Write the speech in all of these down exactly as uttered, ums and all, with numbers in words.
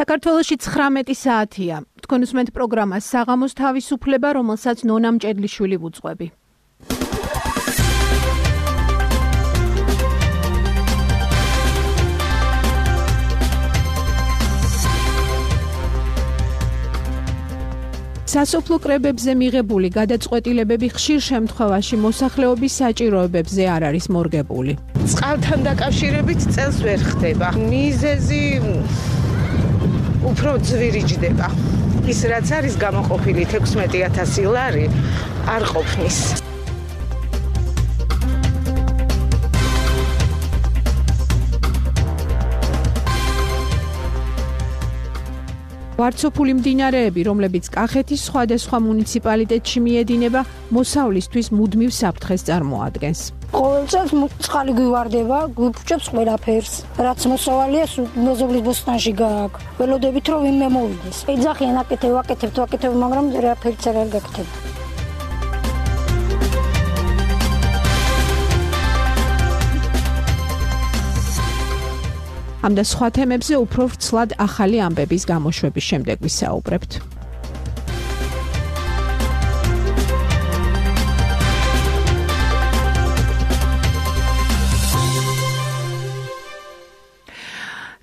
საქართველოში ცხრამეტი საათია. თქვენ უსმენთ პროგრამას საღამოს თავისუფლება, რომელსაც ნონა მჭედლიშვილი ვუძღვები. სასოფლო კრებებზე მიღებული გადაწყვეტილებები ხშირ შემთხვევაში მოსახლეობის საჭიროებებზე არ არის მორგებული. წყალთან დაკავშირებით წელს ვერ ხდება. მიზეზი უფრო ძვირიჯდება. ის რაც არის გამოყოფილი თექვსმეტი ათასი ლარი არ ყოფნის. ვარცოფული მდინარეები, რომლებიც კახეთის სხვადასხვა მუნიციპალიტეტში მიედინება, მოსავლისთვის მუდმივ საფრთხეს წარმოადგენს. ყოველ წელს წყალი გვივარდება, გვიფუჭებს ყველაფერს. რაც მოსავალია მოზოგლის ბოსტანში გააქვს. ველოდებით რომ ვინმე მოვიდეს. ეძახიან აკეთებ, აკეთებ, აკეთებ, მაგრამ რაფერიც არ გაკეთება. ამ და სხვა თემებზე უფრო ვრცლად ახალი ამბების გამოშვების შემდეგ ვისაუბრებთ.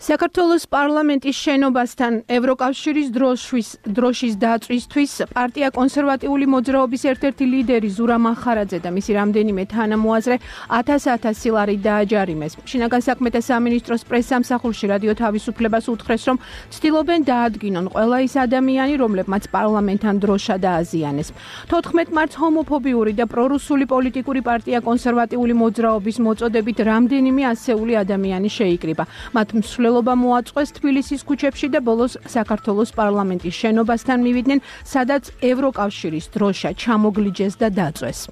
საქართველოს პარლამენტის შენობასთან ევროკავშირის დროშის დროშის დაწვისთვის პარტია კონსერვატიული მოძრაობის ერთ-ერთი ლიდერი ზურა მახარაძე და მისი რამდენიმე თანამოაზრე ათას-ათასი ლარი დააჯარიმეს. შინაგან საქმეთა სამინისტროს პრესსამსახურში რადიო თავისუფლებას უთხრეს, რომ ცდილობენ დაადგინონ ყველა ის ადამიანი, რომლებმაც პარლამენტთან დროშა დააზიანეს. თოთხმეტ მარტს ჰომოფობიური და პრორუსული პოლიტიკური პარტია კონსერვატიული მოძრაობის მოწოდებით რამდენიმე ასეული ადამიანი შეიკრიბა. მათ მსვლელობა მოაწყვეს თბილისის ქუჩებში და ბოლოს საქართველოს პარლამენტის შენობასთან მივიდნენ, სადაც ევროკავშირის დროშა ჩამოგლიჯეს და დაწვეს.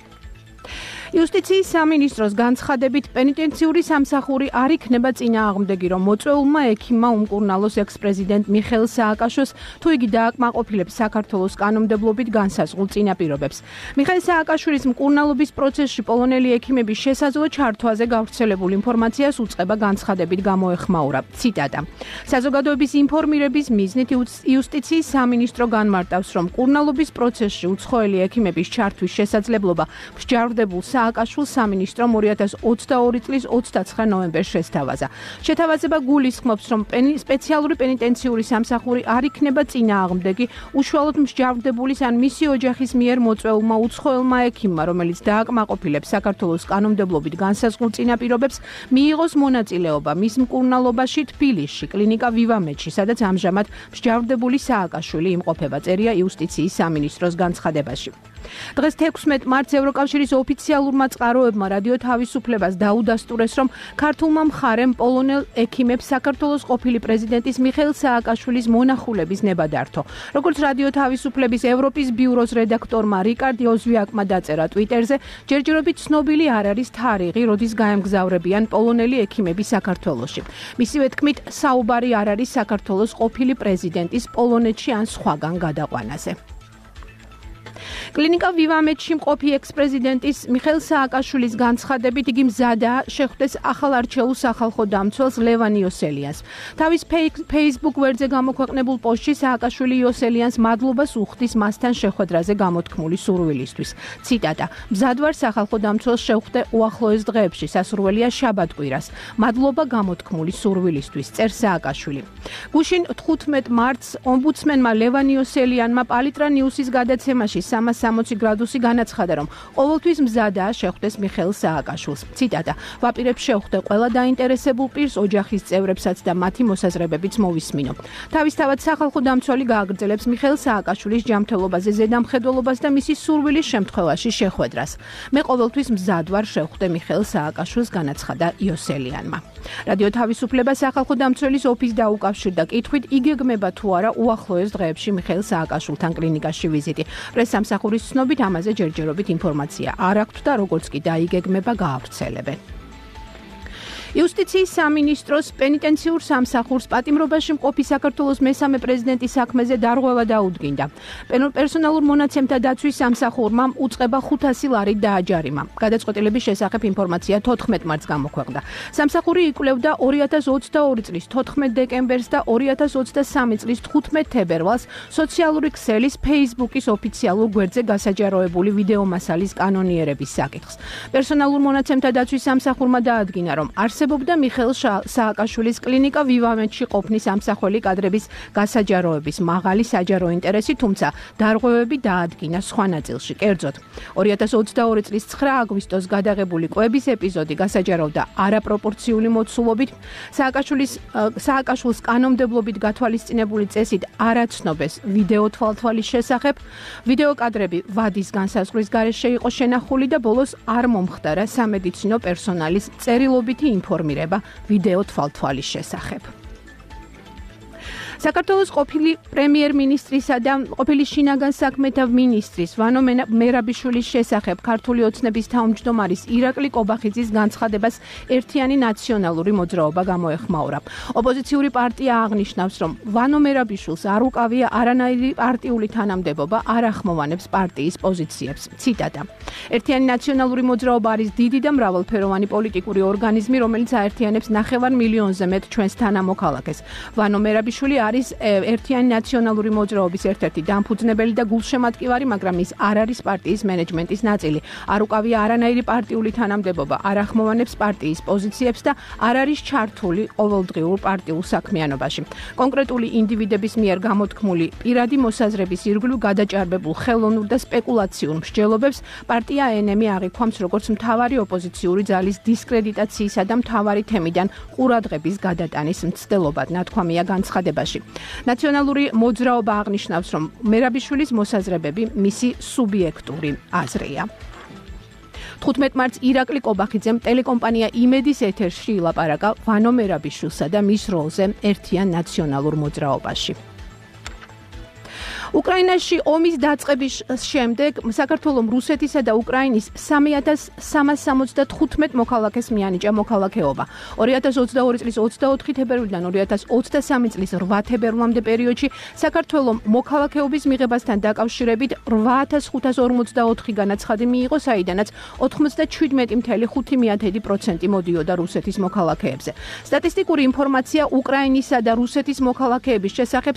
იუსტიციის სამინისტროს განცხადებით პენიტენციური სამსახური არ იქნება წინააღმდეგი, რომ მოწვეულმა ექიმმა უმკურნალოს ექს-პრეზიდენტ მიხეილ სააკაშოს, თუ იგი დააკმაყოფილებს საქართველოს კანონმდებლობით განსაზღვრულ წინაპირობებს. მიხეილ სააკაშვილის მკურნალობის პროცესში პოლონელი ექიმების შესაძლო ჩართვაზე გავრცელებულ ინფორმაციას უწყება განცხადებით გამოეხმაურა. ციტატა: საზოგადოების ინფორმირების მიზნით იუსტიციის სამინისტრო განმარტავს, რომ მკურნალობის პროცესში უცხოელი ექიმების ჩართვის შესაძლებლობა მსჯავრდებულ სააკაშვილს სამინისტრომ ორი ათას ოცდაორი წლის ოცდაცხრა ნოემბერს შესთავაზა. შეთავაზება გულისხმობს, რომ სპეციალური პენიტენციური სამსახური არ იქნება წინააღმდეგი უშუალოდ მსჯავრდებულის ან მისი ოჯახის მიერ მოწვეულმა უცხოელმა ექიმმა, რომელიც დააკმაყოფილებს საქართველოს კანონმდებლობით განსაზღვრულ წინაპირობებს, მიიღოს მონაწილეობა მის მკურნალობაში თბილისში, კლინიკა ვივამედში, სადაც ამჟამად მსჯავრდებული სააკაშვილი იმყოფება, წერია იუსტიციის სამინისტროს განცხადებაში. დღეს თექვსმეტ მარტს ევროკავშირის ოფიციალურმა წყაროებმა რადიო თავისუფლებას დაუდასტურეს, რომ ქართულმა მხარემ პოლონელ ექიმებს საქართველოს ყოფილი პრეზიდენტის მიხეილ სააკაშვილის მონახულების ნება დართო. როგორც რადიო თავისუფლების ევროპის ბიუროს რედაქტორმა რიკარდ ოზვიაკმა დაწერა ტვიტერზე, ჯერჯერობით ცნობილი არ არის თარიღი, როდის გაემგზავრებიან პოლონელი ექიმები საქართველოში. მისივე თქმით, საუბარი არ არის საქართველოს ყოფილი პრეზიდენტის პოლონეთში ან სხვაგან გადაყვანაზე. კლინიკა ვივამედში მყოფი ექს-პრეზიდენტის მიხეილ სააკაშვილის განცხადებით, იგი მზადაა შეხვდეს ახალ არჩეულ სახალხო დამცველს ლევან იოსელიანს. თავის Facebook ვერზე გამოქვეყნებულ პოსტში სააკაშვილი იოსელიანს მადლობას უხდის მასთან შეხვედრაზე გამოთქმული სურვილისთვის. ციტატა: მზად ვარ სახალხო დამცველს შევხვდე უახლოეს დღეებში, სასურველია შაბათ-კვირას. მადლობა გამოთქმული სურვილისთვის, წერს სააკაშვილი. გუშინ თხუთმეტ მარტს ომბუდსმენმა ლევან იოსელიანმა პალიტრა ნიუსის გადაცემაში სამას სამოცი გრადუსი განაცხადა, რომ ყოველთვის მზადაა შეხვდეს მიხეილ სააკაშვილს. ციტატა: ვაპირებ შეხვდე ყველა დაინტერესებულ პირს, ოჯახის წევრებსაც და მათი მოსაზრებებიც მოვისმინო. თავისთავად სახალხო დამცველი გააგრძელებს მიხეილ სააკაშვილის ჯანმრთელობაზე ზედამხედველობას და მისი სურვილის შემთხვევაში შეხვედრას. მე ყოველთვის მზად ვარ შეხვდე მიხეილ სააკაშვილს, განაცხადა იოსელიანმა. რადიო თავისუფლება სახალხო დამცველის ოფისს დაუკავშირდა კითხვით, იგეგმება თუ არა უახლოეს დღეებში მიხეილ სააკაშვილთან კლინიკაში ვიზიტი. პრესსამსახურის ცნობით ამაზე ჯერჯერობით ინფორმაცია არ აქვთ და როგორც კი დაიგეგმება გაავრცელებენ. იუსტიციის სამინისტროს პენიტენციურ სამსახურს პატიმრობაში მყოფი საქართველოს მესამე პრეზიდენტის საქმეზე დარღვევა დაუდგინდა. პერსონალურ მონაცემთა დაცვის სამსახურმა უწყება ხუთასი ლარი დააჯარიმა. გადაწყვეტილების შესახებ ინფორმაცია თოთხმეტ მარტს გამოქვეყნდა. სამსახური იკვლევდა ორი ათას ოცდაორი წლის თოთხმეტ დეკემბერს და ორი ათას ოცდასამი წლის თხუთმეტ თებერვალს სოციალური ქსელის Facebook-ის ოფიციალურ გვერდზე გასაჯაროებული ვიდეო მასალის კანონიერების საკითხს. პერსონალურ მონაცემთა დაცვის სამსახურმა დაადგინა, რომ არსებობდა მიხეილ სააკაშვილის კლინიკა ვივამეთში ყოფნის ამსახველი კადრების გასაჯაროების მაღალი საჯარო ინტერესი, თუმცა დარღვევები დაადგინა სხვა ნაწილში. კერძოდ, ორი ათას ოცდაორი წლის ცხრა აგვისტოს გადაღებული კვების ეპიზოდი გასაჯაროვდა არაპროპორციული მოცულობით, სააკაშვილის სააკაშვილს კანონმდებლობით გათვალისწინებული წესით არ აცნობეს ვიდეო თვალთვალის შესახებ, ვიდეო კადრები ვადის განსაზღვრის გარეშე იყო შენახული და ბოლოს არ მომხდარა სამედიცინო პერსონალის წერილობითი ინფორმირება ვიდეო თვალთვალის შესახებ. საქართველოს ყოფილი პრემიერ-მინისტრისა და ყოფილი შინაგან საქმეთა მინისტრის ვანო მერაბიშვილის შესახებ ქართული ოცნების თავმჯდომარის ირაკლი კობახიძის განცხადებას ერთიანი ნაციონალური მოძრაობა გამოეხმაურა. ოპოზიციური პარტია აღნიშნავს, რომ ვანო მერაბიშვილს არ უკავია არანაირი პარტიული თანამდებობა, არ ახმოვანებს პარტიის პოზიციებს. ციტატა: ერთიანი ნაციონალური მოძრაობა არის დიდი და მრავალფეროვანი პოლიტიკური ორგანიზმი, რომელიც აერთიანებს ნახევარ მილიონზე მეტ ჩვენს თანამოქალაქეს. ვანო მერაბიშვილი არის ერთიანი ნაციონალური მოძრაობის ერთ-ერთი დამფუძნებელი და გულშემატკივარი, მაგრამ ის არ არის პარტიის მენეჯმენტის ნაწილი. არ უკავია არანაირი პარტიული თანამდებობა, არ ახმოვანებს პარტიის პოზიციებს და არ არის ჩართული ყოველდღიურ პარტიულ საქმიანობაში. კონკრეტული ინდივიდების მიერ გამოთქმული პირადი მოსაზრების ირგვლივ გადაჭარბებულ ხელოვნურ და სპეკულაციურ მსჯელობებს პარტია ენ-ემი აღიქვამს როგორც მთავარი ოპოზიციური ძალის დისკრედიტაციისა და მთავარი თემიდან ყურადღების გადატანის მცდელობად, ნათქვამია განცხადებაში. ნაციონალური მოძრაობა აღნიშნავს, რომ მერაბიშვილის მოსაზრებები მისი სუბიექტური აზრია. თხუთმეტ მარტს ირაკლი კობახიძემ ტელეკომპანია იმედის ეთერში ილაპარაკა ვანო მერაბიშვილსა და მის როლზე ერთიან ნაციონალურ მოძრაობაში. უკრაინაში ომის დაწყების შემდეგ საქართველოს რუსეთისა და უკრაინის სამი ათას სამას სამოცდათხუთმეტ მოქალაქეს მიანიჭა მოქალაქეობა. ორი ათას ოცდაორი წლის ოცდაოთხი თებერვლიდან ორი ათას ოცდასამი წლის რვა თებერვლამდე პერიოდში საქართველოს მოქალაქეობის მიღებასთან დაკავშირებით რვა ათას ხუთას ორმოცდაოთხი განაცხადი მიიღო, საიდანაც ოთხმოცდაჩვიდმეტი ფاصლე ხუთი პროცენტი მოდიოდა რუსეთის მოქალაქეებზე. სტატისტიკური ინფორმაცია უკრაინისა და რუსეთის მოქალაქეების შესახებ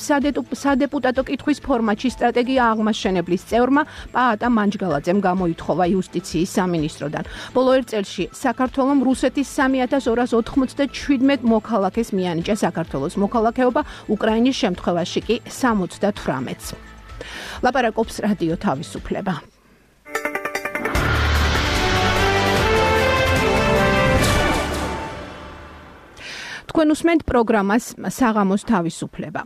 სადეპუტატო კითხვის ფორმა ფორმატში სტრატეგია აღმაშენებლის წევრმა პაატა მანჯგალაძემ გამოითხოვა იუსტიციის სამინისტროდან. ბოლო ერთ წელში საქართველოს რუსეთის სამი ათას ორას ოთხმოცდაჩვიდმეტ მოქალაქეს მიანიჭა საქართველოს მოქალაქეობა, უკრაინის შემთხვევაში კი სამოცდათვრამეტს. ლაპარაკობს რადიო თავისუფლება. თქვენ უსმენთ პროგრამას საღამოს თავისუფლება.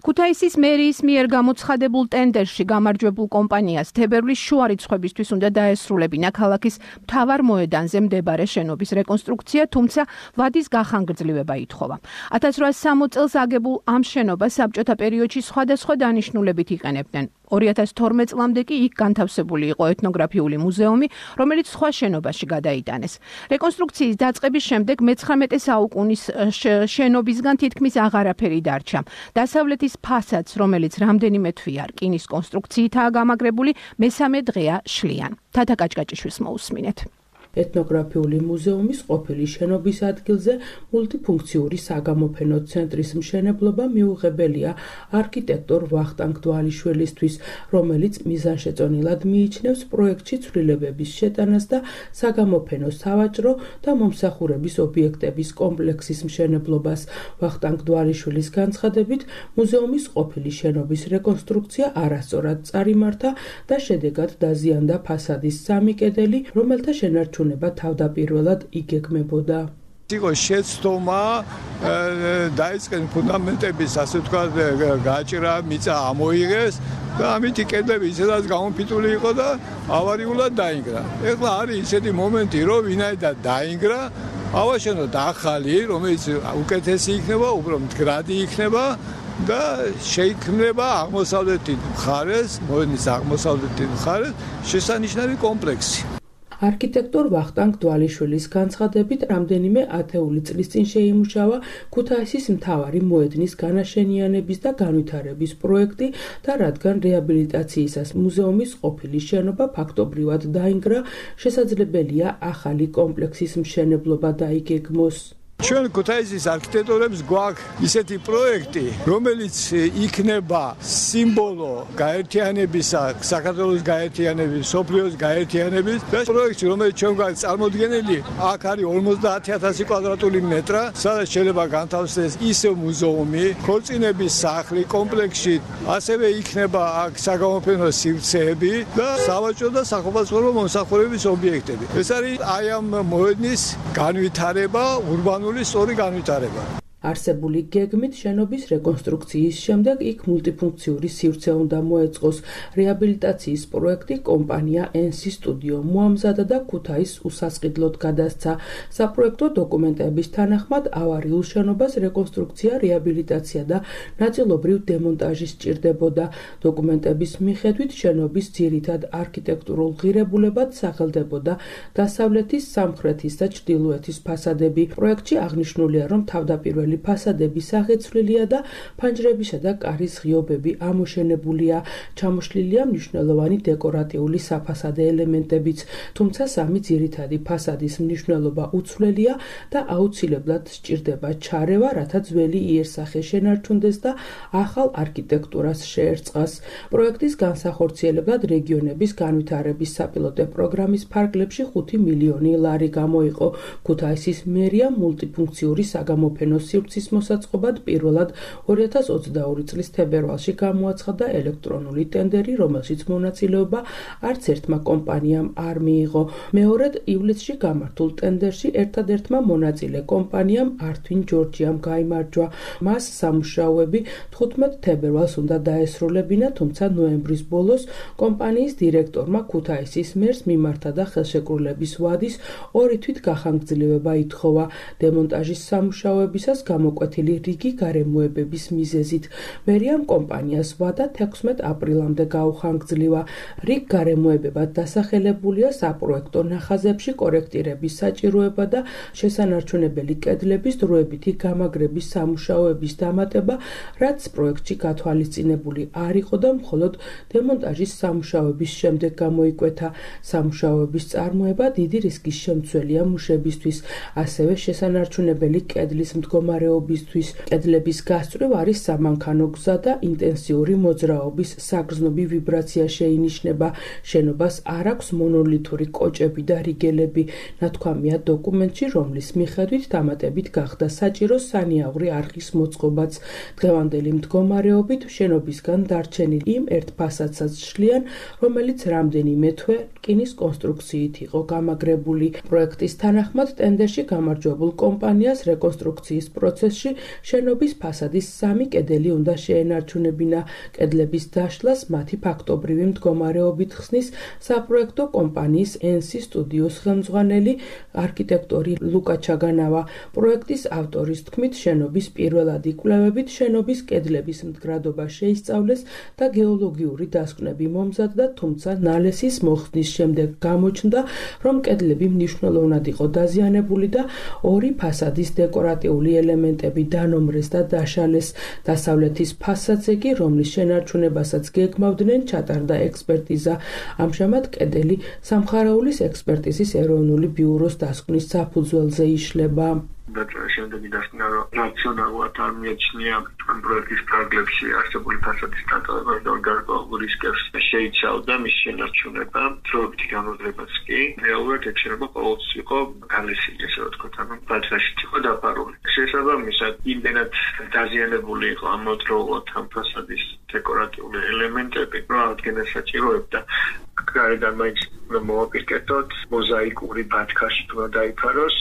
ქუთაისის მერიის მიერ გამოცხადებულ ტენდერში გამარჯვებულ კომპანიას თებერვლის შუა რიცხვებისთვის უნდა დაესრულებინა ქალაქის მთავარ მოედანზე მდებარე შენობის რეკონსტრუქცია, თუმცა ვადის გახანგრძლივება ითხოვა. ათას რვაას სამოცდ წელს აგებულ ამ შენობას საბჭოთა პერიოდში სხვადასხვა დანიშნულებით იყენებდნენ. ორი ათას თორმეტ წლამდე კი იქ განთავსებული იყო ეთნოგრაფიული მუზეუმი, რომელიც სხვა შენობაში გადაიტანეს. რეკონსტრუქციის დაწყების შემდეგ მეცხრამეტე საუკუნის შენობისგან თითქმის აღარაფერი დარჩა. დასავლეთის ფასადს, რომელიც რამდენიმე თვია რკინის კონსტრუქციითაა გამაგრებული, მესამე დღეა შლიან. თათა კაჭკაჭიშვილს მოусმინეთ. ეთნოგრაფიული მუზეუმის ყოფილი შენობის ადგილზე მულტიფუნქციური საგამოფენო ცენტრის მშენებლობა მიუღებელია არქიტექტორ ვახტანგ დვალიშვილისთვის, რომელიც მიზანშეწონილად მიიჩნევს პროექტში ცვლილებების შეტანას და საგამოფენო სავაჭრო და მომსახურების ობიექტების კომპლექსის მშენებლობას. ვახტანგ დვალიშვილის განცხადებით, მუზეუმის ყოფილი შენობის რეკონსტრუქცია არასწორად წარიმართა და შედეგად დაზიანდა ფასადის სამი კედელი, რომელთა შენარჩუნება თავდაპირველად იგეგმებოდა. იყო შეცდომა დაიწყეს ფუნდამენტების, ასე ვთქვათ, გაჭრა, მიწა ამოიღეს და ამით კედლები ისედაც გამოფიტული იყო და ავარიულად დაინგრა. ეხლა არის ისეთი მომენტი, რომ ვინაიდან დაინგრა, ავაშენოთ ახალი, რომელიც უკეთესი იქნება, უფრო მდგრადი იქნება და შეიქმნება აღმოსავლეთის მხარეს, მოედნის აღმოსავლეთის მხარეს შესანიშნავი კომპლექსი. არქიტექტორ ვახტანგ დვალიშვილის განცხადებით, რამდენიმე ათეული წლის წინ შეიმუშავა ქუთაისის მთავარი მოედნის განაშენიანების და განვითარების პროექტი და რადგან რეაბილიტაციისას მუზეუმის ყოფილი შენობა ფაქტობრივად დაინგრა, შესაძლებელია ახალი კომპლექსის მშენებლობა დაიგეგმოს. ჩვენ ქუთაისის არქიტექტორებს გვაქვს ისეთი პროექტი, რომელიც იქნება სიმბოლო გაერთიანებისა, საქართველოს გაერთიანების, სოფლიოს გაერთიანების და პროექტი, რომელიც ჩვენ გვაქვს წარმოდგენილი, აქ არის ორმოცდაათი ათასი კვადრატული მეტრა, სადაც შეიძლება განთავსდეს ისევ მუზეუმი, ქორწინების სახლი, კომპლექსში, ასევე იქნება აქ საგამოფენო სივრცეები და სავაჭრო და სახოფაცმოებო მომსახურების ობიექტები. ეს არის აი ამ მოედნის განვითარება, ურბანული სწორი განვითარება. არსებული გეგმით შენობის რეკონსტრუქციის შემდეგ იქ მულტიფუნქციური სივრცე უნდა მოეწყოს. რეაბილიტაციის პროექტი კომპანია ენსი სტუდიო მოამზადა და ქუთაისს უსასყიდლოდ გადასცა. საპროექტო დოკუმენტების თანახმად ავარიულ შენობას რეკონსტრუქცია, რეაბილიტაცია და ნაწილობრივ დემონტაჟი სჭირდებოდა. დოკუმენტების მიხედვით შენობის ძირითად არქიტექტურულ ღირებულებად სახელდებოდა დასავლეთის, სამხრეთის და ჩრდილოეთის ფასადები. პროექტში აღნიშნულია, რომ თავდაპირველი ფასადები სახეცვლილია და ფანჯრებისა და კარის ღიობები ამოშენებულია. ჩამოშლილია მნიშვნელოვანი დეკორატიული საფასადე ელემენტებიც, თუმცა სამი ძირითადი ფასადის მნიშვნელობა უცვლელია და აუცილებლად სჭირდება ჩარევა, რათა ძველი იერსახე შენარჩუნდეს და ახალ არქიტექტურას შეერწყას. პროექტის განსახორციელებლად რეგიონების განვითარების საპილოტო პროგრამის ფარგლებში ხუთი მილიონი ლარი გამოიყო. ქუთაისის მერია მულტიფუნქციური საგამოფენო სივრცის მოსაწყობად პირველად ორი ათას ოცდაორი წლის თებერვალში გამოაცხადა ელექტრონული ტენდერი, რომელშიც მონაწილეობა არც ერთმა კომპანიამ არ მიიღო. მეორედ ივლისში გამართულ ტენდერში ერთადერთმა მონაწილე კომპანიამ ართვინ ჯორჯიამ გაიმარჯვა. მას სამუშაოები თხუთმეტ თებერვალს უნდა დაესრულებინა, თუმცა ნოემბრის ბოლოს კომპანიის დირექტორმა ქუთაისის მერს მიმართა და ხელშეკრულების ვადის ორი თვით გახანგრძლივება ითხოვა. დემონტაჟის სამუშაოებისას გამოკვეთილი რიგი გარემოებების მიზეზით. მერიამ კომპანიას ვადა თექვსმეტ აპრილამდე გაუხანგრძლივა. რიგ გარემოებებად დასახელებულია საპროექტო ნახაზებში კორექტირების საჭიროება და შესანარჩუნებელი კედლების დროებითი გამაგრების სამუშაოების დამატება, რაც პროექტში გათვალისწინებული არ იყო და მხოლოდ დემონტაჟის სამუშაოების შემდეგ გამოიკვეთა. სამუშაოების წარმოება დიდი რისკის შემცველია მუშებისთვის, ასევე შესანარჩუნებელი კედლის მდგომარეობისთვის. კედლების გასწვრივ არის სამანქანო გზა და ინტენსიური მოძრაობის საგრძნობი ვიბრაცია შეინიშნება. შენობას არ აქვს მონოლითური კოჭები და რიგელები. ნათქვამია დოკუმენტში, რომლის მიხედვით დამატებით გახდა საჭირო სანიაღვრი არხის მოწყობაც. დღევანდელი მდგომარეობით შენობისგან დარჩენილი იმ ერთ ფასადსაც შლიან, რომელიც რამდენიმე თვე რკინის კონსტრუქციით იყო გამაგრებული. პროექტის თანახმად ტენდერში გამარჯვებულ კომპანიას რეკონსტრუქციის პროცესში შენობის ფასადის სამი კედელი უნდა შეენარჩუნებინა. კედლების დაშლას მათი ფაქტობრივი მდგომარეობით ხსნის საპროექტო კომპანიის ენსი სტუდიოს ხელმძღვანელი არქიტექტორი ლუკა ჩაგანავა. პროექტის ავტორის თქმით, შენობის პირველადი კვლევებით შენობის კედლების მდგრადობა შეისწავლეს და გეოლოგიური დასკვნები მომზადდა, თუმცა ნალესის მოხსნის შემდეგ გამოჩნდა, რომ კედლები მნიშვნელოვნად იყო დაზიანებული და ორი ფასადის დეკორატიული ელემენტები დანომრეს და დაშალეს. დასავლეთის ფასადზე კი, რომლის შენარჩუნებასაც გეგმავდნენ, ჩატარდა ექსპერტიზა. ამჟამად კედელი სამხარაულის ექსპერტიზის ეროვნული ბიუროს დასკვნის საფუძველზე იშლება. და შემდეგი დასკვნა, რომ რაციონალურად არ მიაჩნია ამ პროექტის ფარგლებში არსებული ფასადის დატოვება და გარკვეულ რისკებს შეიცავდა მის შენარჩუნება. დროებითი განმავლობაც კი რეალურად ექცენება ყოველთვის იყო გალესილი, ესე ვთქვათ, ანუ ბათრაშიც იყო დაფარული. შესაბამისად, იმდენად დაზიანებული იყო ამავდროულად ამ ფასადის დეკორატიული ელემენტები, რომ აღდგენა საჭიროებდა გარედან მაინც მოვაპირკეთოთ, მოზაიკური ბათქაში უნდა დაიფაროს,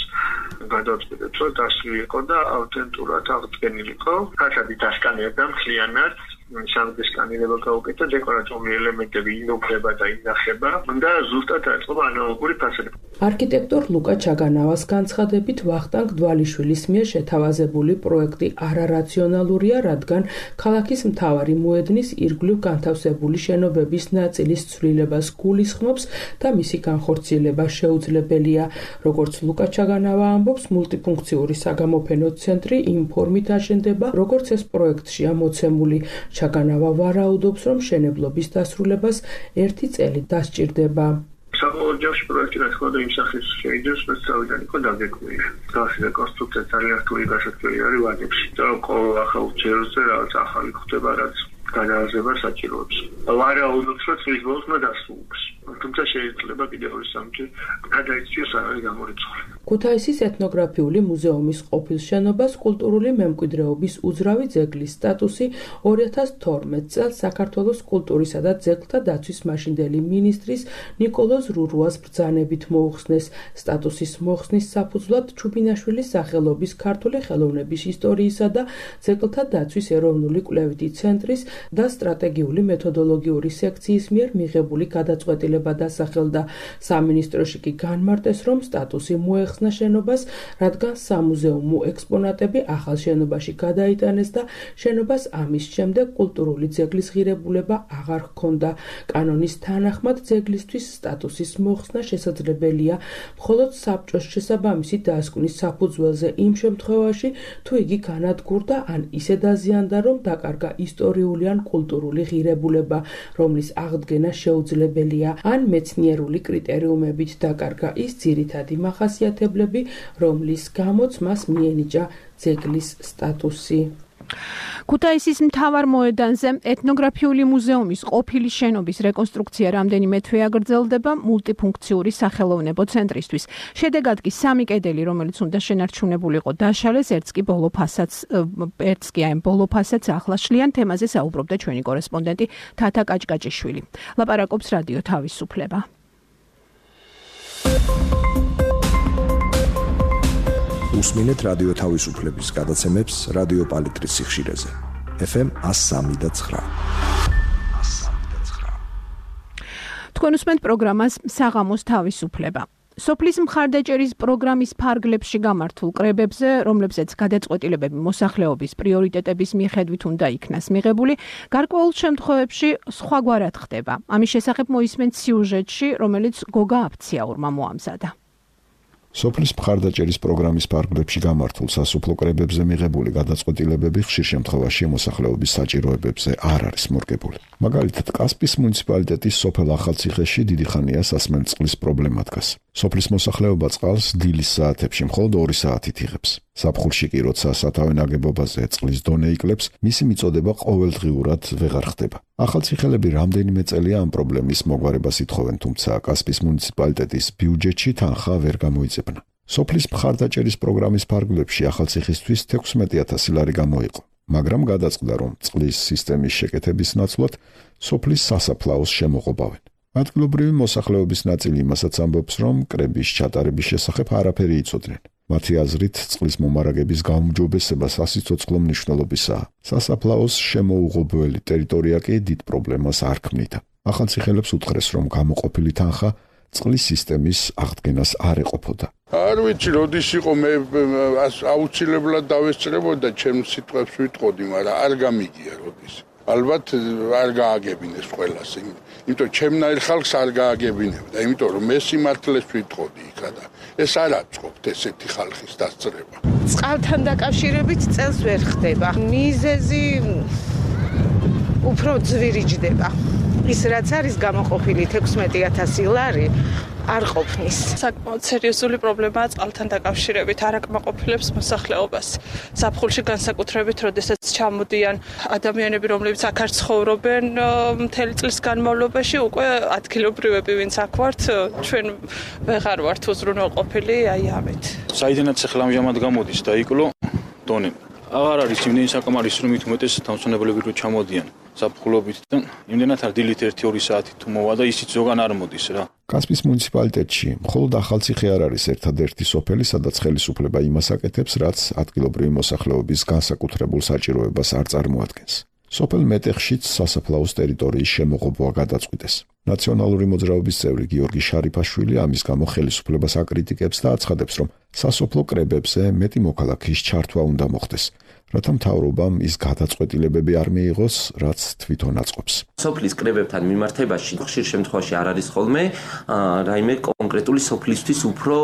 გადავწყვეტეთ, რომ დასვლილი იყო და ავთენტურად აღდგენილიყო. ფასადი დასკანერდა მთლიანად, სამი სკანირება გაუკეთა, დეკორატიული ელემენტები ინუქება და ინახება და ზუსტად აწყობა ანალოგური ფასადები. არქიტექტორ ლუკა ჩაგანავას განცხადებით ვახტანგ დვალიშვილის მიერ შეთავაზებული პროექტი არარაციონალურია, რადგან ქალაქის მთავარი მოედნის ირგვლივ განთავსებული შენობების ნაწილის ცვლილებას გულისხმობს და მისი განხორციელება შეუძლებელია. როგორც ლუკა ჩაგანავა ამბობს, მულტიფუნქციური საგამოფენო ცენტრი იმ ფორმით აშენდება, როგორც ეს პროექტშია მოცემული. ჩაგანავა ვარაუდობს, რომ მშენებლობის დასრულებას ერთი წელი დასჭირდება. საბოლოოში პროექტი რა თქმა უნდა იმ სახის შეიძლება სწავლიდან იყო დაგეგმილი. დასი რეკონსტრუქცია ძალიან რთული გასაკვირი არის ვადებში. და ყოველ ახალ ჯერზე რაღაც ახალი ხდება, რაც განააზრება საჭიროებს. ვარაუდობს, რომ წლის ბოლოს უნდა დასრულდეს. თუმცა შეიძლება კიდევ ორი სამჯერ გადაიქციოს არ არის გამორიცხული. ქუთაისის ეთნოგრაფიული მუზეუმის ყოფილ შენობას კულტურული მემკვიდრეობის უძრავი ძეგლის სტატუსი ორი ათას თორმეტ წელს საქართველოს კულტურისა და ძეგლთა დაცვის მაშინდელი მინისტრის ნიკოლოზ რურუას ბრძანებით მოუხსნეს. სტატუსის მოხსნის საფუძვლად ჩუბინაშვილის სახელობის ქართული ხელოვნების ისტორიისა და ძეგლთა დაცვის ეროვნული კვლევითი ცენტრის და სტრატეგიული მეთოდოლოგიური სექციის მიერ მიღებული გადაწყვეტილება დასახელდა. სამინისტროში კი განმარტეს, რომ სტატუსი მოეხსნა შენობას, რადგან სამუზეუმო ექსპონატები ახალ შენობაში გადაიტანეს და შენობას ამის შემდეგ კულტურული ძეგლის ღირებულება აღარ ჰქონდა. კანონის თანახმად ძეგლისთვის სტატუსის მოხსნა შესაძლებელია მხოლოდ საბჭოს შესაბამისი დასკვნის საფუძველზე იმ შემთხვევაში, თუ იგი განადგურდა ან ისე დაზიანდა, რომ დაკარგა ისტორიული ან კულტურული ღირებულება, რომლის აღდგენა შეუძლებელია, ან მეცნიერული კრიტერიუმებით დაკარგა ის ძირითადი მახასიათებლები, რომლის გამოც მას მიენიჭა ძეგლის სტატუსი. ქუთაისის მთავარ მოედანზე ეთნოგრაფიული მუზეუმის ყოფილი შენობის რეკონსტრუქცია რამდენიმე თვე აგრძელდება მულტიფუნქციური სახელოვნებო ცენტრისთვის. შედეგად კი სამი კედელი, რომელიც უნდა შენარჩუნებულიყო, დაშალეს, ერთს კი ბოლო ფასადს, ერთს კი აი ბოლო ფასადს ახლა შლიან. თემაზე საუბრობდა ჩვენი კორესპონდენტი თათა კაჭკაჭიშვილი. ლაპარაკობს რადიო თავისუფლება. უსმინეთ რადიო თავისუფლების გადაცემებს რადიო პალიტრის სიხშირეზე. ეფ ემ one oh three და nine. თქვენ უსმენთ პროგრამას საღამოს თავისუფლება. სოფლის მხარდაჭერის პროგრამის ფარგლებში გამართულ კრებებზე, რომლებზეც გადაწყვეტილებები მოსახლეობის პრიორიტეტების მიხედვით უნდა იქნას მიღებული, გარკვეულ შემთხვევებში სხვაგვარად ხდება. ამის შესახებ მოისმენთ სიუჟეტში, რომელიც გოგა აფციაურმა მოამზადა. სოფლის მხარდაჭერის პროგრამის ფარგლებში გამართულ სასოფლო კრებებზე მიღებული გადაწყვეტილებები ხშირ შემთხვევაში მოსახლეობის საჭიროებებზე არ არის მორგებული. მაგალითად, კასპის მუნიციპალიტეტის სოფელ ახალციხეში დიდი ხანია სასმელწყლის პრობლემა დგას. სოფლის მოსახლეობა წყალს დილის საათებში მხოლოდ ორი საათით იღებს. ზაფხულში კი, როცა სათავე ნაგებობაზე წყლის დონე იკლებს, მისი მიწოდება ყოველდღიურად ვეღარ ხდება. ახალციხელები რამდენიმე წელია ამ პრობლემის მოგვარებას ითხოვენ, თუმცა კასპის მუნიციპალიტეტის ბიუჯეტში თანხა ვერ გამოიძებნა. სოფლის მხარდაჭერის პროგრამის ფარგლებში ახალციხისთვის თექვსმეტი ათასი ლარი გამოიყო, მაგრამ გადაწყდა, რომ წყლის სისტემის შეკეთების ნაცვლად სოფლის სასაფლაოს შემოღობავენ. ადგილობრივი მოსახლეობის ნაწილი იმასაც ამბობს, რომ კრების ჩატარების შესახებ არაფერი იცოდნენ. მათი აზრით, წყლის მომარაგების გაუმჯობესება სასიცოცხლო მნიშვნელობისაა. სასაფლაოს შემოუღობელი ტერიტორია კი დიდ პრობლემას არ ქმნიდა. ახალციხელებს უთხრეს, რომ გამოყოფილი თანხა წყლის სისტემის აღდგენას არ ეყოფოდა. არ ვიცი, როდის იყო მე აუცილებლად დავესწრებოდა, ჩემს სიტყვებს ვიტყოდი, მაგრამ არ გამიგია როდის. ალბათ არ გააგებინეს ყველას, იმიტომ ჩემნაირ ხალხს არ გააგებინებდა, იმიტომ რომ მე სიმართლეს ვიტყოდი იქა და ეს არ აწყობთ ესეთი ხალხის დასწრება. წყალთან დაკავშირებით წელს ვერ ხდება. მიზეზი უფრო ძვირიჯდება. ის რაც არის გამოყოფილი თექვსმეტი ათასი ლარი არ ყოფნის. საკმაოდ სერიოზული პრობლემაა წყალთან დაკავშირებით, არ აკმაყოფილებს მოსახლეობას. ზაფხულში განსაკუთრებით, როდესაც ჩამოდიან ადამიანები, რომლებიც აქ არ ცხოვრობენ მთელი წლის განმავლობაში, უკვე ადგილობრივები, ვინც აქ ვართ, ჩვენ ვეღარ ვართ უზრუნველყოფილი აი ამით. საიდანაც ახლა ამჟამად გამოდის და იკლო დონე. აღარ არის იმდენი საკმარის, რომ მით უმეტეს თავმჯდომარეები რო ჩამოდიან. საფხულობით და იმდენად არ დილით ერთი ორი საათი თუ მოვა და ისიც ზოგან არ მოდის რა. კასპის მუნიციპალიტეტში მხოლოდ ახალციხე არ არის ერთადერთი სოფელი, სადაც ხელისუფლება იმას აკეთებს, რაც ადგილობრივი მოსახლეობის განსაკუთრებულ საჭიროებას არ წარმოადგენს. სოფელ მეტეხშიც სასაფლაოს ტერიტორიის შემოღობა გადაწყვიტეს. ნაციონალური მოძრაობის წევრი გიორგი შარიფაშვილი ამის გამო ხელისუფლებას აკრიტიკებს და აცხადებს, რომ სასოფლო კრებებზე მეტი მოქალაქის ჩართვა უნდა მოხდეს, რათა მთავრობამ ის გადაწყვეტილებები არ მიიღოს, რაც თვითონ აწყობს. სოფლის კრებებთან მიმართებაში ხშირ შემთხვევაში არ არის ხოლმე რაიმე კონკრეტული სოფლისთვის უფრო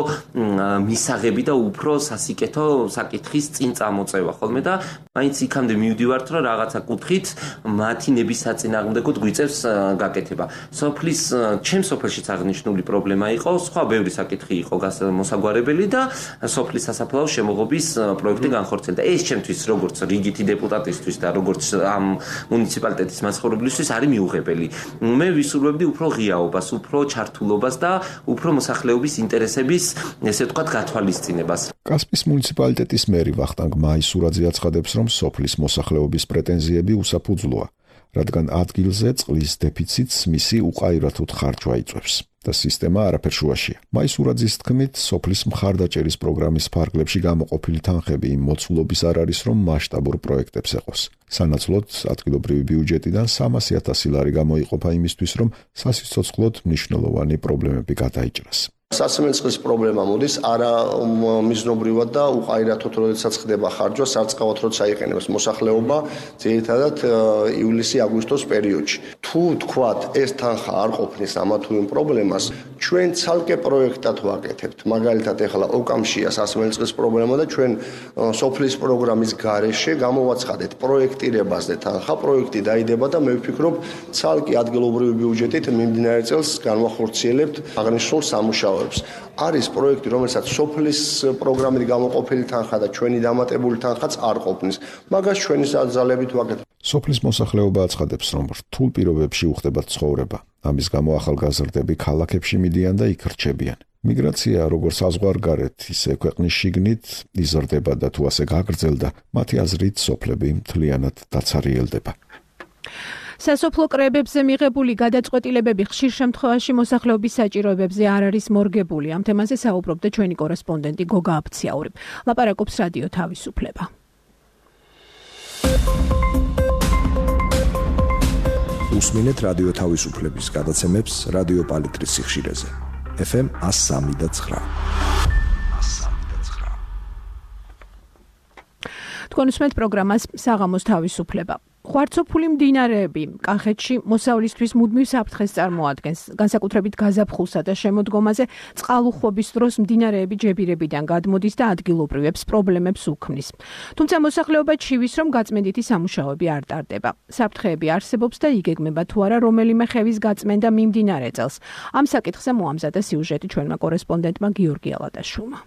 მისაღები და უფრო სასიკეთო საკითხის წინ წამოწევა ხოლმე და მაინც იქამდე მივდივართ, რომ რაღაცა კუთხით მათი ნების საწინააღმდეგოდ გვიწევს გაკეთება. სოფლის ჩემ სოფელშიც აღნიშნული პრობლემა იყო, სხვა ბევრი საკითხი იყო მოსაგვარებელი და სოფლის სასაფლაოს შემოღობის პროექტი განხორციელდა. ეს ჩემთვის როგორც რიგითი დეპუტატისთვის და როგორც ამ მუნიციპალიტეტის მაცხოვრებლისთვის არის მიუღებელი. მე ვისურვებდი უფრო ღიაობას, უფრო ჩართულობას და უფრო მოსახლეობის ინტერესების, ესე ვთქვათ, გათვალისწინებას. კასპის მუნიციპალიტეტის მერი ვახტანგ მაისურაძე აცხადებს, რომ სოფლის მოსახლეობის პრეტენზიები უსაფუძვლოა, რადგან ადგილზე წყლის დეფიციტს მისი უყაირათოდ ხარჯვა იწვევს და სისტემა არაფერ შუაშია. მაისურაძის თქმით, სოფლის მხარდაჭერის პროგრამის ფარგლებში გამოყოფილი თანხები იმ მოცულობის არ არის, რომ მასშტაბურ პროექტებს ეყოს. სანაცვლოდ ადგილობრივი ბიუჯეტიდან სამასი ათასი ლარი გამოიყოფა იმისთვის, რომ სასიცოცხლოდ მნიშვნელოვანი პრობლემები გადაიჭრას. სასმელწყლის პრობლემა მოდის არა მიზნობრივად და უყაირათოდ, როდესაც ხდება ხარჯვა, სარწყავად როცა იყენებს მოსახლეობა, ძირითადად ივლისი-აგვისტოს პერიოდში. თუ თქვათ, ეს თანხა არ ყოფნის ამა თუ იმ პრობლემას, ჩვენ ცალკე პროექტად ვაკეთებთ. მაგალითად, ეხლა ოკამშია სასმელწყლის პრობლემა და ჩვენ სოფლის პროგრამის გარეშე გამოვაცხადეთ პროექტირებაზე თანხა, პროექტი დაიდება და მე ვფიქრობ, ცალკე ადგილობრივი ბიუჯეტით მიმდინარე წელს განვახორციელებთ აღნიშნულ სამუშაოებს. არის პროექტი, რომელსაც სოფლის პროგრამით გამოყოფილი თანხა და ჩვენი დამატებული თანხაც არ ყოფნის. მაგას ჩვენი ძალებით ვაკეთებთ. სოფლის მოსახლეობა აცხადებს, რომ რთულ პირობებში უხდება ცხოვრება. ამის გამო ახალგაზრდები ქალაქებში მიდიან და იქ რჩებიან. მიგრაცია როგორც საზღვარგარეთ, ისე ქვეყნის შიგნით იზრდება და თუ ასე გაგრძელდა, მათი აზრით სოფლები მთლიანად დაცარიელდება. სასოფლო კრებებზე მიღებული გადაწყვეტილებები ხშირ შემთხვევაში მოსახლეობის საჭიროებებზე არ არის მორგებული. ამ თემაზე საუბრობდა ჩვენი კორესპონდენტი გოგა აფციაური. ლაპარაკობს რადიო თავისუფლება. უსმინეთ რადიო თავისუფლების გადაცემებს რადიო პალიტრის სიხშირეზე. ეფ ემ εκατო სამი და ცხრა. თქვენ უსმენთ პროგრამას საღამოს თავისუფლება. ხვარცოფული მდინარეები კახეთში მოსავლისთვის მუდმივ საფრთხეს წარმოადგენს. განსაკუთრებით გაზაფხულსა და შემოდგომაზე წყალუხვობის დროს მდინარეები ჯებირებიდან გადმოდის და ადგილობრივებს პრობლემებს უქმნის. თუმცა მოსახლეობა ჩივის, რომ გაწმენდითი სამუშაოები არ ტარდება. საფრთხეები არსებობს და იგეგმება თუ არა რომელიმე ხევის გაწმენდა მიმდინარე წელს. ამ საკითხზე მოამზადა სიუჟეტი ჩვენმა კორესპონდენტმა გიორგი ალადაშვილმა.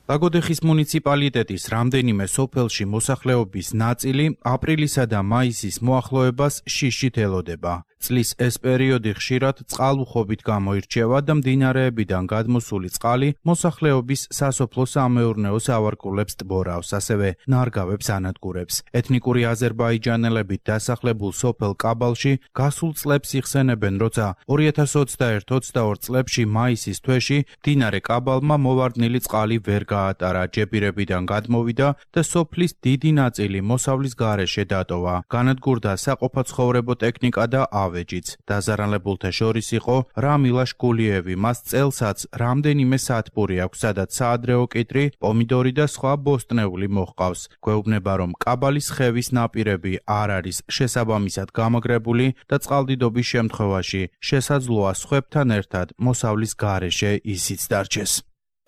ბაგოდეხის მუნიციპალიტეტის რამდენიმე სოფელში მოსახლეობის ნაწილი აპრილისა და მაისის მოახლოებას შიშით ელოდება. წლის ეს პერიოდი ხშირად წყალუხვობით გამოირჩევა და მდინარეებიდან გადმოსული წყალი მოსახლეობის სასოფლო-სამეურნეო სავარგულებს ტბორავს, ასევე ნარგავებს ანადგურებს. ეთნიკური აზერბაიჯანელებით დასახლებულ სოფელ კაბალში გასულ წლებს იხსენებენ, როცა ორი ათას ოცდაერთ ოცდაორ წლებში მაისის თვეში მდინარე კაბალმა მოვარდნილი წყალი ვერ გაატარა, ჯებირებიდან გადმოვიდა და სოფლის დიდი ნაწილი მოსავლის გარეშე დატოვა. განადგურდა საყოფაცხოვრებო ტექნიკა და ავეჯიც. დაზარალებულთა შორის იყო რამილაშ გულიევი, მას წელსაც რამდენიმე სათბური აქვს, სადაც საადრეო კიტრი, პომიდორი და სხვა ბოსტნეული მოჰყავს. გვეუბნება, რომ კაბალის ხევის ნაპირები არ არის შესაბამისად გამაგრებული და წყალდიდობის შემთხვევაში შესაძლოა სხვებთან ერთად მოსავლის გარეშე ისიც დარჩეს.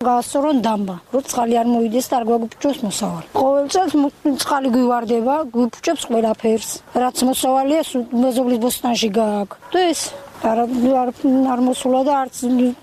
გასწორონ დამბა, რომ წყალი არ მოვიდეს და არ გვაგუფუჭოს მოსავალი. ყოველ წელს წყალი გვივარდება, გვიფუჭებს ყველაფერს. რაც მოსავალია, მეზობლის ბოსტანში გააქვს. და ეს არ არ მოსულა და არც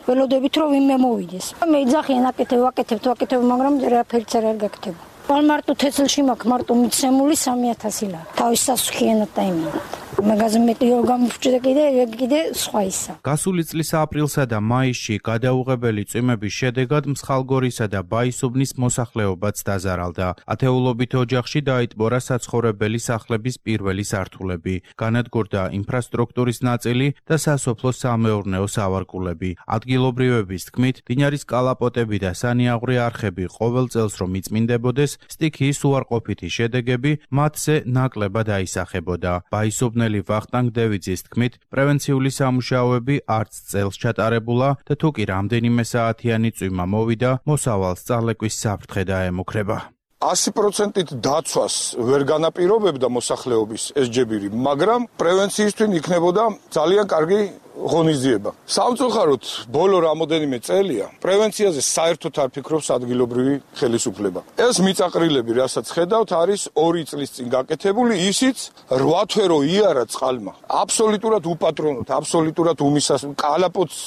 ველოდებით რომ ვინმე მოვიდეს. მე იძახიან აკეთებ, ვაკეთებ, ვაკეთებ, მაგრამ რაფერიც არ გაკეთება. მარტო თესლში მაქვს მარტო მიცემული სამი ათასი ლარი. თავის სასუქიანად და იმენად. მაგაზე მეტიო გამოვჭდა კიდე კიდე სხვა ისა. გასული წლის აპრილსა და მაისში გადაუღებელი წვიმების შედეგად მსხალგორისა და ბაისუბნის მოსახლეობაც დაზარალდა. ათეულობით ოჯახში დაიტბორა საცხოვრებელი სახლების პირველი სართულები, განადგურდა ინფრასტრუქტურის ნაწილი და სასოფლო-სამეურნეო სავარგულები. ადგილობრივების თქმით, მდინარის კალაპოტები და სანიაღვრე არხები ყოველ წელს რომ იწმინდებოდეს, სტიქიის უარყოფითი შედეგები მათზე ნაკლებად აისახებოდა. ბაისუბნელი ვახტანგ დევიძის თქმით, პრევენციული სამუშაოები არც წელს ჩატარებულა და თუ კი რამდენიმე საათიანი წვიმა მოვიდა, მოსავალს წალეკვის საფრთხე დაემუქრება. ასი პროცენტით დაცვას ვერ განაპირობებდა მოსახლეობის ეს ჯებირი, მაგრამ პრევენციისთვის იქნებოდა ძალიან კარგი ღონისძიება. სამწუხაროდ, ბოლო რამოდენიმე წელია პრევენციაზე საერთოდ არ ფიქრობს ადგილობრივი ხელისუფლება. ეს მიწაყრილები, რასაც ხედავთ, არის ორი წლის წინ გაკეთებული, ისიც რვა თვე რო იარა წყალმა. აბსოლუტურად უპატრონოდ, აბსოლუტურად უმისას კალაპოტს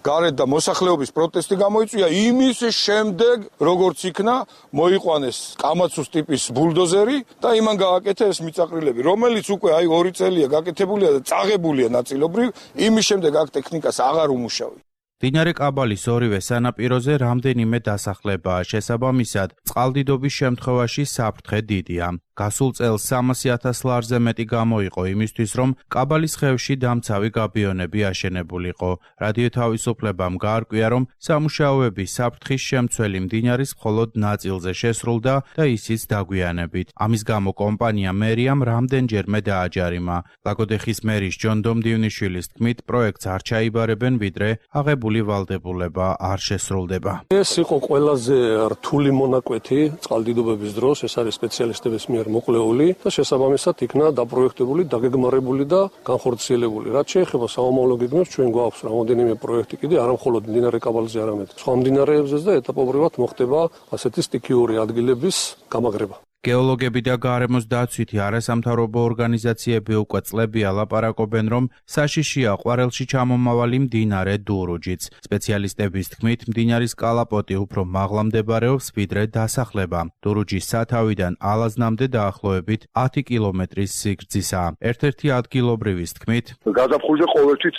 გარეთ და მოსახლეობის პროტესტი გამოიწვია იმის შემდეგ, როგორც იქნა მოიყვანეს კამაცუს ტიპის ბულდოზერი და იმან გააკეთა ეს მიწაყრილები, რომელიც უკვე აი ორი წელია გაკეთებულია და წაღებულია ნაწილობრივ, იმის შემდეგ აქ ტექნიკას აღარ უმუშავია. მდინარე კაბალის ორივე სანაპიროზე რამდენიმე დასახლებაა, შესაბამისად, წყალდიდობის შემთხვევაში საფრთხე დიდია. გასულ წელს სამასი ათას ლარზე მეტი გამოიყო იმისთვის, რომ კაბალის ხევში დამცავი გაბიონები აშენებულიყო. რადიო თავისუფლებამ გაარკვია, რომ სამუშაოები საფრთხის შემცველი მდინარის მხოლოდ ნაწილზე შესრულდა და ისიც დაგვიანებით. ამის გამო კომპანია მერიამ რამდენჯერმე დააჯარიმა. ლაგოდეხის მერის ჯონ დომდივნიშვილის თქმით, პროექტს არ ჩაიბარებენ, ვიდრე აღებული ვალდებულება არ შესრულდება. ეს იყო ყველაზე რთული მონაკვეთი წყალდიდობების დროს, ეს არის სპეციალისტების მიერ მოყოლებული და შესაბამისად იქნა დაპროექტებული, დაგეგმარებული და განხორციელებული. რაც შეეხება საომავლო გეგმებს, ჩვენ გვაქვს რამოდენიმე პროექტი კიდე, არა მხოლოდ მდინარე კაბალზე, არამედ სხვა მდინარეებზეც და ეტაპობრივად მოხდება ასეთი სტიქიური ადგილების გამაგრება. გეოლოგები და გარემოს დაცვითი არასამთავრობო ორგანიზაციები უკვე წლებია ლაპარაკობენ, რომ საშიშია ყვარელში ჩამომავალი მდინარე დურუჯიც. სპეციალისტების თქმით, მდინარის კალაპოტი უფრო მაღლა მდებარეობს, ვიდრე დასახლება. დურუჯის სათავიდან ალაზნამდე დაახლოებით ათი კილომეტრის სიგრძისაა. ერთ-ერთი ადგილობრივის თქმით, გაზაფხულზე ყოველთვის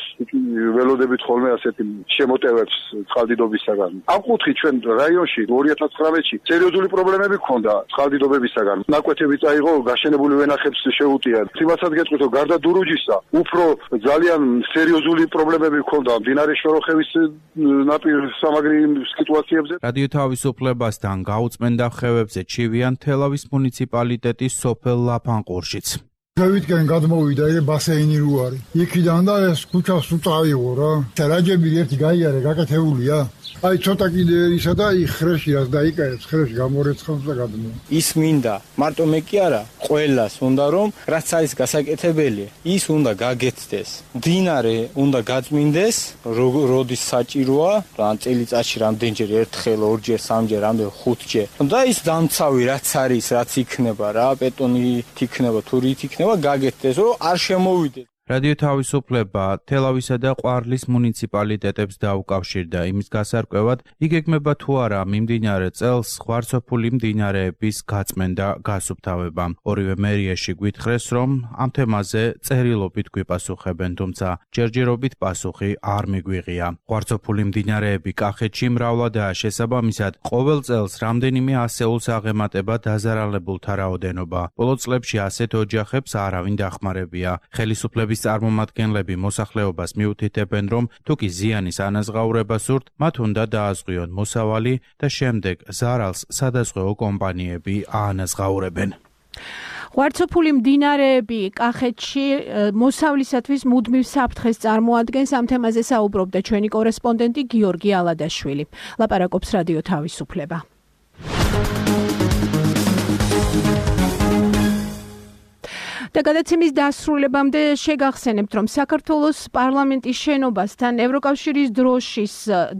ველოდებით ხოლმე ასეთი შემოტევებს წყალდიდობისაგან. ამ კუთხით ჩვენ რაიონში ორი ათას ცხრამეტში სერიოზული პრობლემები ჰქონდა წყალდიდობების ნაკვეთები წაიღო, გაშენებული ვენახებს შეუტია. იმასაც გეტყვით, რომ გარდა დურუჯისა, უფრო ძალიან სერიოზული პრობლემები ჰქონდა მდინარე შოროხევის ნაპირ სამაგრი სიტუაციებზე. რადიო თავისუფლებასთან გაუწმენდა ხევებზე ჩივიან თელავის მუნიციპალიტეტის სოფელ ლაფანყურშიც. დავიდგენ გადმოვიდა ეს ბასეინი რო არის. იქიდან და ეს ქუჩას უწავიღო რა. რაჯები ერთი გაიარე, გაკეთებულია. აი ცოტა კიდე ისა და იხრეში რაც დაიკარებს, ხრეში გამორეცხავს და გადმოვა. ის მინდა, მარტო მე კი არა, ყველას უნდა რომ რაც არის გასაკეთებელი, ის უნდა გაგეთდეს. მდინარე უნდა გაწმინდეს, როდის საჭიროა, ან წელიწადში რამდენჯერ, ერთხელ, ორჯერ, სამჯერ, რამდენ ხუთჯერ. და ის დამცავი რაც არის, რაც იქნება რა, ბეტონი იქნება, თურით იქნება, გაგეთდეს, რომ არ შემოვიდეს. რადიო თავისუფლება თელავისა და ყვარლის მუნიციპალიტეტებს დაუკავშირდა იმის გასარკვევად, იგეგმება თუ არა მიმდინარე წელს ღვარცოფული მდინარეების გაწმენდა გასუფთავება. ორივე მერიაში გვითხრეს, რომ ამ თემაზე წერილობით გვიპასუხებენ, თუმცა ჯერჯერობით პასუხი არ მიგვიღია. ღვარცოფული მდინარეები კახეთში მრავლადაა, შესაბამისად, ყოველ წელს რამდენიმე ასეულს აღემატება დაზარალებულთა რაოდენობა. ბოლო წლებში ასეთ ოჯახებს არავინ დახმარებია. ხელისუფლების წარმომადგენლები მოსახლეობას მიუთითებენ, რომ თუ კი ზიანის ანაზღაურება სურთ, მათ უნდა დააზღვიონ მოსავალი და შემდეგ ზარალს სადაზღვეო კომპანიები აანაზღაურებენ. ღვარცოფული მდინარეები კახეთში მოსავლისათვის მუდმივ საფრთხეს წარმოადგენს. ამ თემაზე საუბრობდა ჩვენი კორესპონდენტი გიორგი ალადაშვილი. ლაპარაკობს რადიო თავისუფლება. და გადაცემის დასრულებამდე შეგახსენებთ, რომ საქართველოს პარლამენტის შენობასთან ევროკავშირის დროშის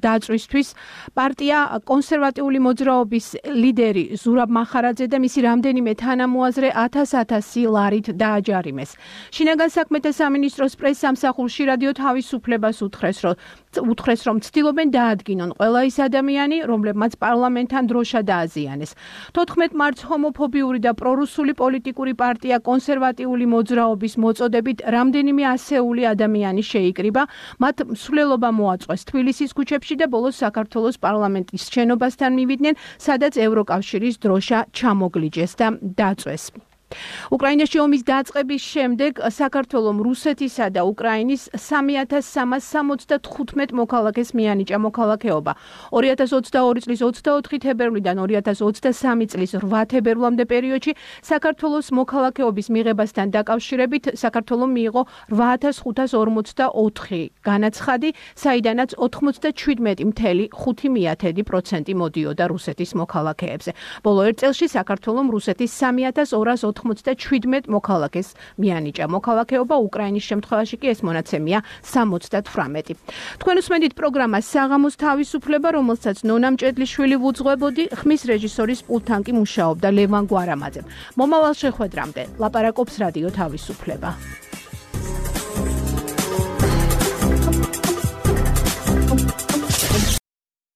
დაწვისთვის პარტია კონსერვატიული მოძრაობის ლიდერი ზურაბ მახარაძე და მისი რამდენიმე თანამოაზრე ათას-ათასი ლარით დააჯარიმეს. შინაგან საქმეთა სამინისტროს პრესსამსახურში რადიო თავისუფლებას უთხრეს, რომ უთხრეს, რომ ცდილობენ დაადგინონ ყველა ის ადამიანი, რომლებმაც პარლამენტთან დროშა დააზიანეს. თოთხმეტ მარტს ჰომოფობიური და პრორუსული პოლიტიკური პარტია კონსერვატიული მოძრაობის მოწოდებით რამდენიმე ასეული ადამიანი შეიკრიბა, მათ მსვლელობა მოაწყვეს თბილისის ქუჩებში და ბოლოს საქართველოს პარლამენტის შენობასთან მივიდნენ, სადაც ევროკავშირის დროშა ჩამოგლიჯეს და დაწვეს. უკრაინაში ომის დაწყების შემდეგ საქართველომ რუსეთისა და უკრაინის სამი ათას სამას სამოცდათხუთმეტ მოქალაქეს მიანიჭა მოქალაქეობა. ორი ათას ოცდაორი წლის ოცდაოთხი თებერვლიდან ორი ათას ოცდასამი წლის რვა თებერვლამდე პერიოდში საქართველოს მოქალაქეობის მიღებასთან დაკავშირებით საქართველომ მიიღო რვა ათას ხუთას ორმოცდაოთხი განაცხადი, საიდანაც ოთხმოცდაჩვიდმეტი წელი ხუთი პროცენტი მოდიოდა რუსეთის მოქალაქეებზე. ბოლო ერთ წელში საქართველომ რუსეთის სამი ათას ორას ოთხმოცდაჩვიდმეტ მოქალაქეს მიანიჭა მოქალაქეობა, უკრაინის შემთხვევაში კი ეს მონაცემია სამოცდათვრამეტი. თქვენ უსმენთ პროგრამას საღამოს თავისუფლება, რომელსაც ნონა მჭედლიშვილი ვუძღვებოდი, ხმის რეჟისორის პულტთან კი მუშაობდა ლევან გვარამაძე. მომავალ შეხვედრამდე ლაპარაკობს რადიო თავისუფლება.